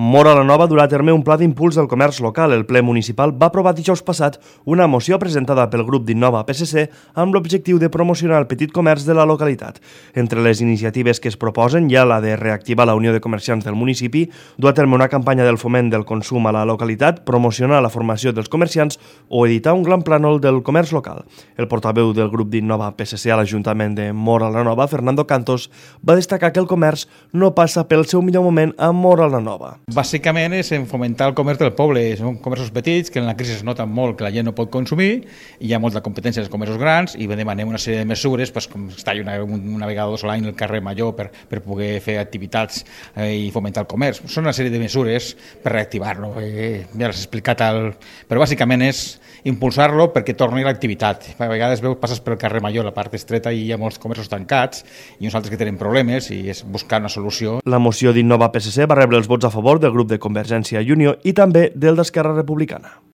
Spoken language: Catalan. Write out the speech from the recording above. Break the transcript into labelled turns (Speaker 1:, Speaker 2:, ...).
Speaker 1: Móra la Nova durà a terme un pla d'impuls del comerç local. El ple municipal va aprovar dijous passat una moció presentada pel grup d'Innova PSC amb l'objectiu de promocionar el petit comerç de la localitat. Entre les iniciatives que es proposen hi ha la de reactivar la Unió de Comerciants del municipi, dur a terme una campanya del foment del consum a la localitat, promocionar la formació dels comerciants o editar un gran plànol del comerç local. El portaveu del grup d'Innova PSC a l'Ajuntament de Móra la Nova, Fernando Cantos, va destacar que el comerç no passa pel seu millor moment a Móra la Nova.
Speaker 2: Bàsicament és en fomentar el comerç del poble. Són comerços petits que en la crisi es nota molt que la gent no pot consumir i hi ha molta competència dels comerços grans i demanem una sèrie de mesures, com estar una vegada o dos a l'any al carrer Major per poder fer activitats i fomentar el comerç. Són una sèrie de mesures per reactivar-lo. Ja les he explicat, però bàsicament és impulsar-lo perquè torni l'activitat. A vegades passes pel carrer Major, la part estreta, i hi ha molts comerços tancats i uns altres que tenen problemes i és buscar una solució.
Speaker 1: La moció d'Innova PSC va rebre els vots a favor del grup de Convergència i Unió i també del d'Esquerra Republicana.